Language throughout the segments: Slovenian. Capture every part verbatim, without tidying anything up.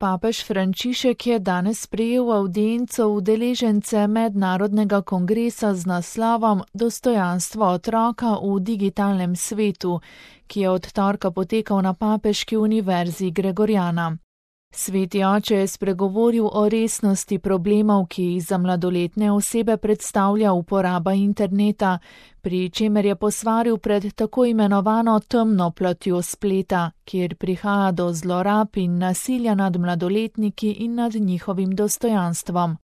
Papež Frančišek je danes sprejel avdienco udeležence mednarodnega kongresa z naslovom Dostojanstvo otroka v digitalnem svetu, ki je od torka potekal na Papeški univerzi Gregoriana. Sveti oče je spregovoril o resnosti problemov, ki jih za mladoletne osebe predstavlja uporaba interneta, pri čemer je posvaril pred tako imenovano temno platjo spleta, kjer prihaja do zlorab in nasilja nad mladoletniki in nad njihovim dostojanstvom.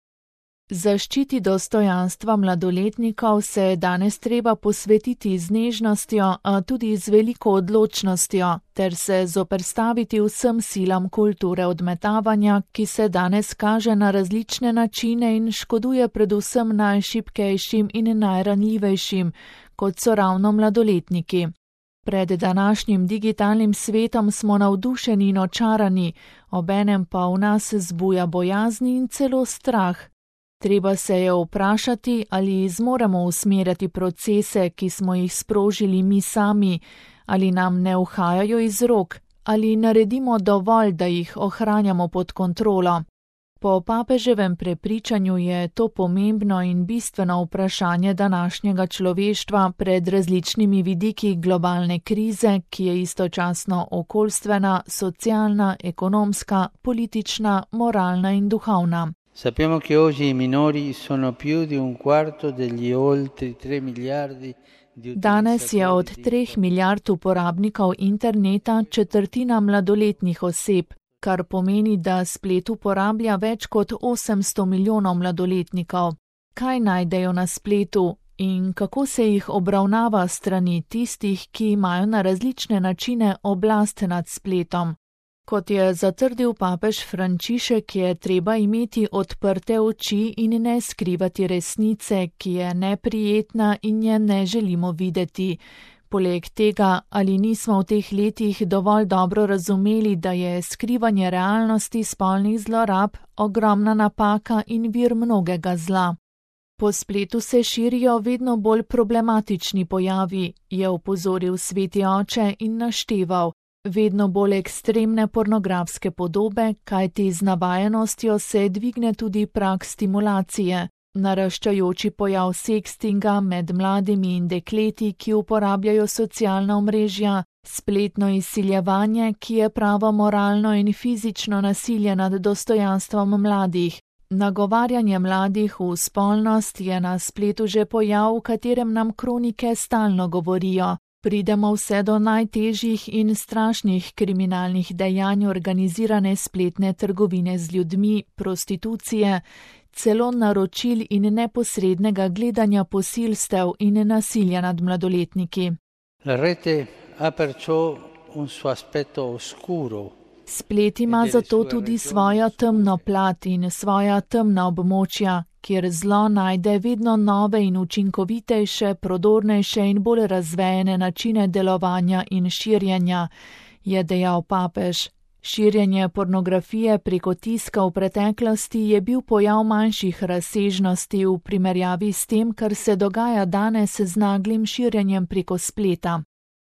Zaščiti dostojanstva mladoletnikov se je danes treba posvetiti z nežnostjo, a tudi z veliko odločnostjo, ter se zoperstaviti vsem silam kulture odmetavanja, ki se danes kaže na različne načine in škoduje predvsem najšibkejšim in najranljivejšim, kot so ravno mladoletniki. Pred današnjim digitalnim svetom smo navdušeni in očarani, obenem pa v nas zbuja bojazni in celo strah. Treba se je vprašati, ali zmoremo usmerjati procese, ki smo jih sprožili mi sami, ali nam ne uhajajo iz rok, ali naredimo dovolj, da jih ohranjamo pod kontrolo. Po papeževem prepričanju je to pomembno in bistveno vprašanje današnjega človeštva pred različnimi vidiki globalne krize, ki je istočasno okoljstvena, socialna, ekonomska, politična, moralna in duhovna. Sappiamo che oggi i minori sono più di un quarto degli oltre tre miliardi di Danes je od treh milijard uporabnikov interneta četrtina mladoletnih oseb, kar pomeni, da splet uporablja več kot osemsto milijonov mladoletnikov. Kaj najdejo na spletu in kako se jih obravnava strani tistih, ki imajo na različne načine oblast nad spletom? Kot je zatrdil papež Frančišek, je treba imeti odprte oči in ne skrivati resnice, ki je neprijetna in je ne želimo videti. Poleg tega, ali nismo v teh letih dovolj dobro razumeli, da je skrivanje realnosti spolnih zlorab ogromna napaka in vir mnogega zla. Po spletu se širijo vedno bolj problematični pojavi, je opozoril sveti oče in našteval. Vedno bolj ekstremne pornografske podobe, kajti z navajenostjo se dvigne tudi prag stimulacije, naraščajoči pojav sekstinga med mladimi in dekleti, ki uporabljajo socialna omrežja, spletno izsiljevanje, ki je pravo moralno in fizično nasilje nad dostojanstvom mladih. Nagovarjanje mladih v spolnost je na spletu že pojav, v katerem nam kronike stalno govorijo. Pridemo vse do najtežjih in strašnih kriminalnih dejanj organizirane spletne trgovine z ljudmi, prostitucije, celo naročil in neposrednega gledanja posilstev in nasilja nad mladoletniki. La rete ha perciò un suo aspetto oscuro. Splet ima zato tudi svojo temno plat in svoja temna območja, kjer zlo najde vedno nove in učinkovitejše, prodornejše in bolj razvejene načine delovanja in širjenja, je dejal papež. Širjenje pornografije preko tiska v preteklosti je bil pojav manjših razsežnosti v primerjavi s tem, kar se dogaja danes z naglim širjenjem preko spleta.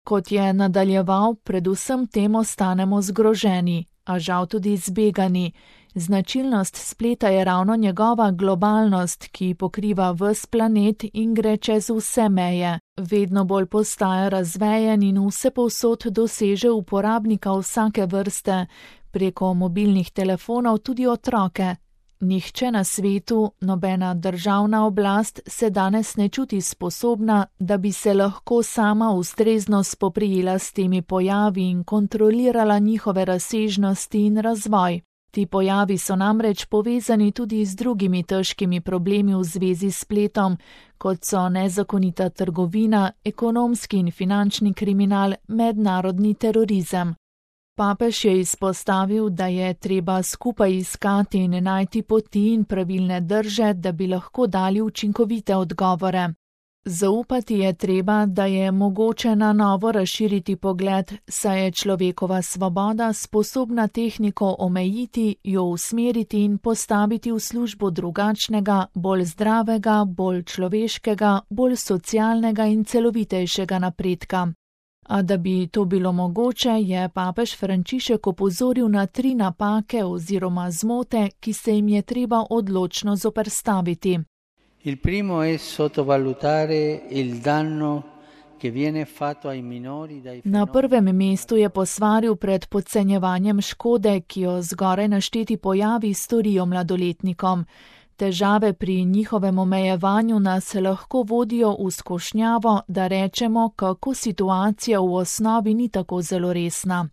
Kot je nadaljeval, predvsem tem ostanemo zgroženi, a žal tudi zbegani. Značilnost spleta je ravno njegova globalnost, ki pokriva ves planet in gre čez vse meje. Vedno bolj postaja razvejen in vsepovsod doseže uporabnika vsake vrste, preko mobilnih telefonov tudi otroke. Nihče na svetu, nobena državna oblast se danes ne čuti sposobna, da bi se lahko sama ustrezno spoprijela s temi pojavi in kontrolirala njihove razsežnosti in razvoj. Ti pojavi so namreč povezani tudi z drugimi težkimi problemi v zvezi s spletom, kot so nezakonita trgovina, ekonomski in finančni kriminal, mednarodni terorizem. Papež je izpostavil, da je treba skupaj iskati in najti poti in pravilne drže, da bi lahko dali učinkovite odgovore. Zaupati je treba, da je mogoče na novo razširiti pogled, saj je človekova svoboda sposobna tehniko omejiti, jo usmeriti in postaviti v službo drugačnega, bolj zdravega, bolj človeškega, bolj socialnega in celovitejšega napredka. A da bi to bilo mogoče, je papež Frančišek opozoril na tri napake oziroma zmote, ki se jim je treba odločno zoperstaviti. Il primo è sottovalutare il danno che viene fatto ai minori dai Na prvem mestu je posvaril pred podcenjevanjem škode, ki jo zgoraj našteti pojavi storijo mladoletnikom. Težave pri njihovem omejevanju nas lahko vodijo v skušnjavo, da rečemo, kako situacija v osnovi ni tako zelo resna.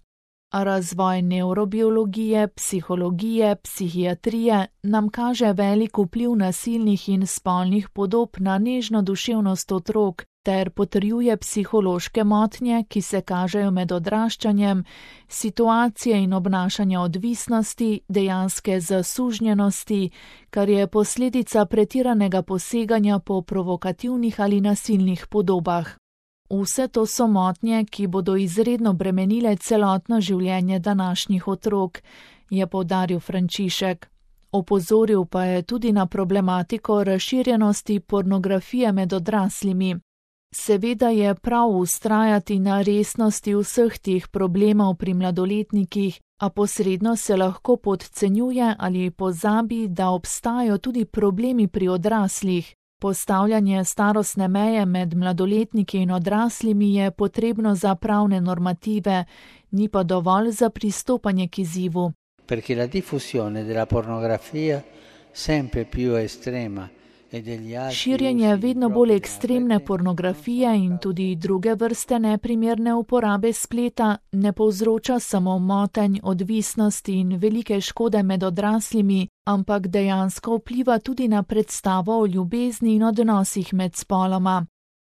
A razvoj nevrobiologije, psihologije, psihiatrije nam kaže velik vpliv nasilnih in spolnih podob na nežno duševnost otrok ter potrjuje psihološke motnje, ki se kažejo med odraščanjem, situacije in obnašanja odvisnosti, dejanske zasužnjenosti, kar je posledica pretiranega poseganja po provokativnih ali nasilnih podobah. Vse to so motnje, ki bodo izredno bremenile celotno življenje današnjih otrok, je poudaril Frančišek. Opozoril pa je tudi na problematiko razširjenosti pornografije med odraslimi. Seveda je prav vztrajati na resnosti vseh teh problemov pri mladoletnikih, a posredno se lahko podcenjuje ali pozabi, da obstajajo tudi problemi pri odraslih. Postavljanje starostne meje med mladoletniki in odraslimi je potrebno za pravne normative, ni pa dovolj za pristopanje k izzivu. Perché la diffusione della pornografia sempre più estrema. Širjenje vedno bolj ekstremne pornografije in tudi druge vrste neprimerne uporabe spleta ne povzroča samo motenj, odvisnosti in velike škode med odraslimi, ampak dejansko vpliva tudi na predstavo o ljubezni in odnosih med spoloma.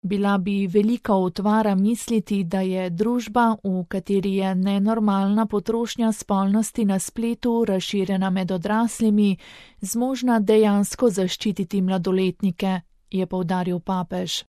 Bila bi velika utvara misliti, da je družba, v kateri je nenormalna potrošnja spolnosti na spletu razširjena med odraslimi, zmožna dejansko zaščititi mladoletnike, je poudaril papež.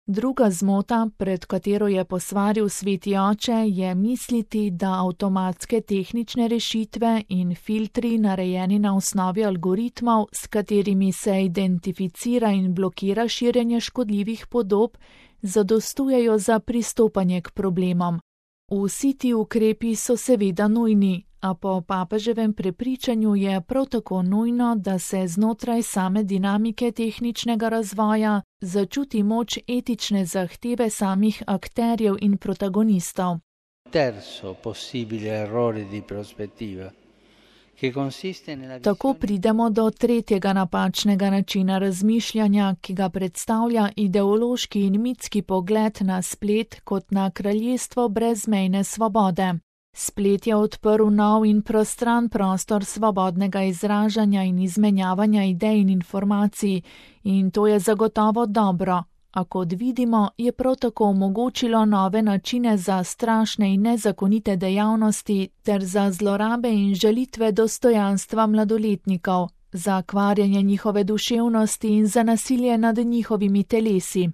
Druga zmota, pred katero je posvaril sveti oče, je misliti, da avtomatske tehnične rešitve in filtri, narejeni na osnovi algoritmov, s katerimi se identificira in blokira širjenje škodljivih podob, zadostujejo za pristopanje k problemom. Vsi ti ukrepi so seveda nujni, a po papeževem prepričanju je prav tako nujno, da se znotraj same dinamike tehničnega razvoja začuti moč etične zahteve samih akterjev in protagonistov. Terzo possibile errore di prospettiva. Tako pridemo do tretjega napačnega načina razmišljanja, ki ga predstavlja ideološki in mitski pogled na splet kot na kraljestvo brezmejne svobode. Splet je odprl nov in prostran prostor svobodnega izražanja in izmenjavanja idej in informacij, in to je zagotovo dobro. A kot vidimo, je prav tako omogočilo nove načine za strašne in nezakonite dejavnosti ter za zlorabe in žalitve dostojanstva mladoletnikov, za kvarjenje njihove duševnosti in za nasilje nad njihovimi telesi.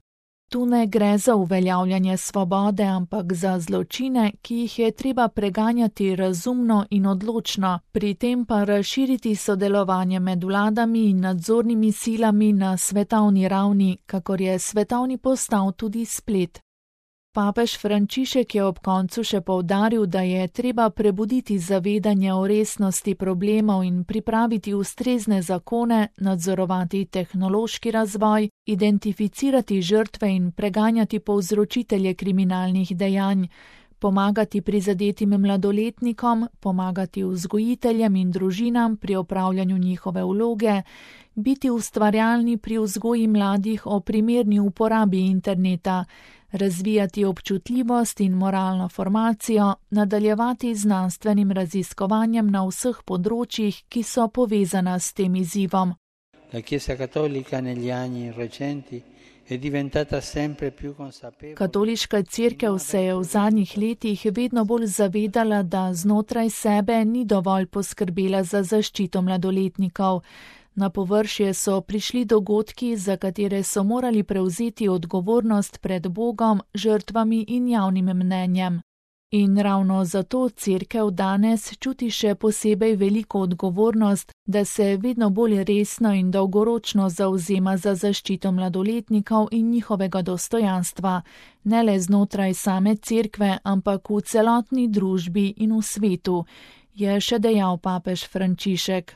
Tu ne gre za uveljavljanje svobode, ampak za zločine, ki jih je treba preganjati razumno in odločno, pri tem pa razširiti sodelovanje med vladami in nadzornimi silami na svetovni ravni, kakor je svetovni postal tudi splet. Papež Frančišek je ob koncu še poudaril, da je treba prebuditi zavedanje o resnosti problemov in pripraviti ustrezne zakone, nadzorovati tehnološki razvoj, identificirati žrtve in preganjati povzročitelje kriminalnih dejanj, pomagati prizadetim mladoletnikom, pomagati vzgojiteljem in družinam pri opravljanju njihove vloge, biti ustvarjalni pri vzgoji mladih o primerni uporabi interneta, razvijati občutljivost in moralno formacijo, nadaljevati z znanstvenim raziskovanjem na vseh področjih, ki so povezana s tem izzivom. La Chiesa Cattolica negli anni recenti è diventata sempre più consapevole. Katoliška cerkev se je v zadnjih letih vedno bolj zavedala, da znotraj sebe ni dovolj poskrbela za zaščito mladoletnikov. Na površje so prišli dogodki, za katere so morali prevzeti odgovornost pred Bogom, žrtvami in javnim mnenjem. In ravno zato Cerkev danes čuti še posebej veliko odgovornost, da se vedno bolj resno in dolgoročno zavzema za zaščito mladoletnikov in njihovega dostojanstva, ne le znotraj same Cerkve, ampak v celotni družbi in v svetu, je še dejal papež Frančišek.